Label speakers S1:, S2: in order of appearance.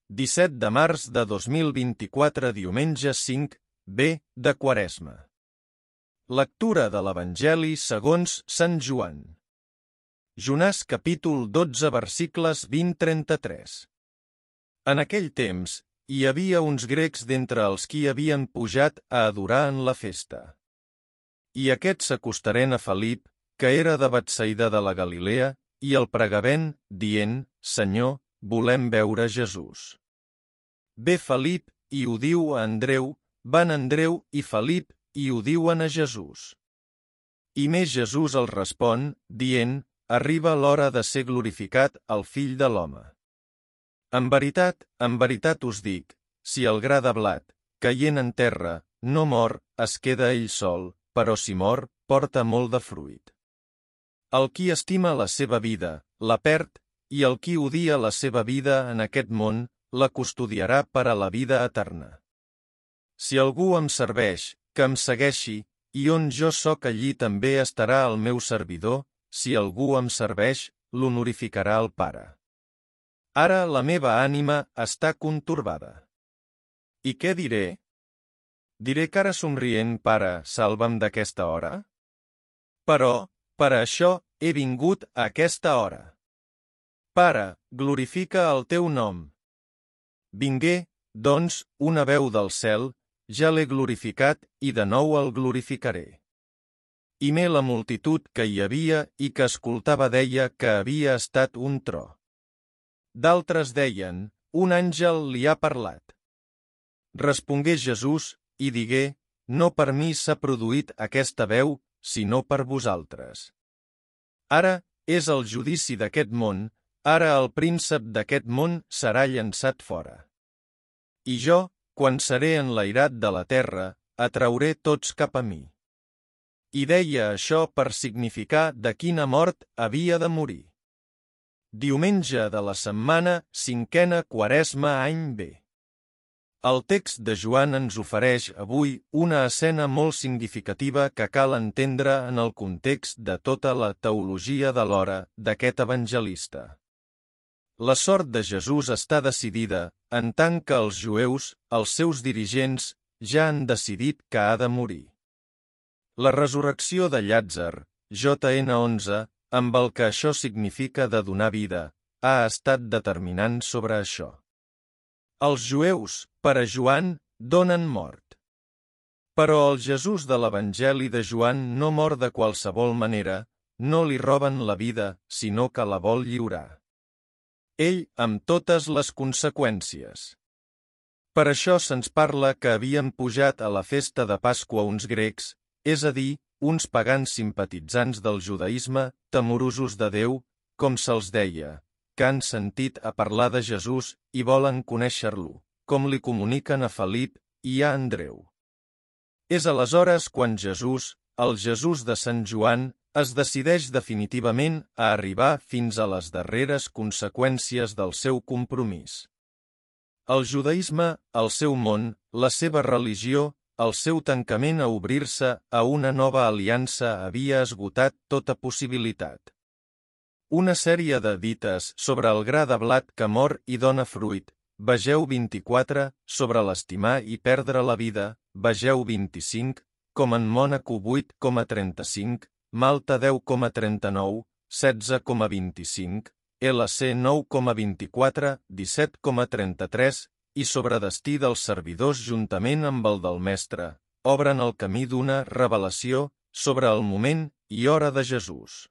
S1: 17 de març de 2024, diumenge 5, B de Quaresma. Lectura de l'Evangeli segons Sant Joan. Jonàs capítol 12 versicles 20-33. En aquell temps, hi havia uns grecs d'entre els qui havien pujat a adorar en la festa. I aquests s'acostaren a Felip, que era de Betsaida de la Galilea, i el pregavent, dient: Senyor, volem veure Jesús. Ve Felip i ho diu a Andreu, van Andreu i Felip i ho diuen a Jesús. I més Jesús els respon, dient: Arriba l'hora de ser glorificat el Fill de l'home. En veritat us dic, si el gra de blat, caient en terra, no mor, es queda ell sol, però si mor, porta molt de fruit. El qui estima la seva vida, la perd, i el qui odia la seva vida en aquest món, la custodiarà per a la vida eterna. Si algú em serveix, que em segueixi, i on jo soc allí també estarà el meu servidor, si algú em serveix, l'honorificarà el Pare. Ara la meva ànima està contorbada. I què diré? Diré cara somrient, Pare, salva'm d'aquesta hora? Però, per a això, he vingut a aquesta hora. Pare, glorifica el teu nom. Vingué, doncs, una veu del cel, ja l'he glorificat i de nou el glorificaré. I me la multitud que hi havia i que escoltava deia que havia estat un tro. D'altres deien: un àngel li ha parlat. Respongué Jesús i digué: no per mi s'ha produït aquesta veu, sinó per vosaltres. Ara és el judici d'aquest món, ara el príncep d'aquest món serà llançat fora. I jo, quan seré enlairat de la terra, atrauré tots cap a mi. I deia això per significar de quina mort havia de morir. Diumenge de la setmana, 5a Quaresma, any B. El text de Joan ens ofereix avui una escena molt significativa que cal entendre en el context de tota la teologia de l'hora d'aquest evangelista. La sort de Jesús està decidida, en tant que els jueus, els seus dirigents, ja han decidit que ha de morir. La resurrecció de Llàtzer, JN 11, amb el que això significa de donar vida, ha estat determinant sobre això. Els jueus, per a Joan, donen mort. Però el Jesús de l'Evangeli de Joan no mor de qualsevol manera, no li roben la vida, sinó que la vol lliurar. Ell amb totes les conseqüències. Per això se'ns parla que havien pujat a la festa de Pasqua uns grecs, és a dir, uns pagans simpatitzants del judaïsme, temorosos de Déu, com se'ls deia, que han sentit a parlar de Jesús i volen conèixer-lo, com li comuniquen a Felip i a Andreu. És aleshores quan Jesús, el Jesús de Sant Joan, es decideix definitivament a arribar fins a les darreres conseqüències del seu compromís. El judaïsme, el seu món, la seva religió, el seu tancament a obrir-se a una nova aliança havia esgotat tota possibilitat. Una sèrie de dites sobre el gra de blat que mor i dona fruit, vegeu 24, sobre l'estimar i perdre la vida, vegeu 25, com en Mònaco 8,35, Malta 10,39, 16,25, LC 9,24, 17,33 i sobre destí dels servidors juntament amb el del Mestre, obren el camí d'una revelació sobre el moment i hora de Jesús.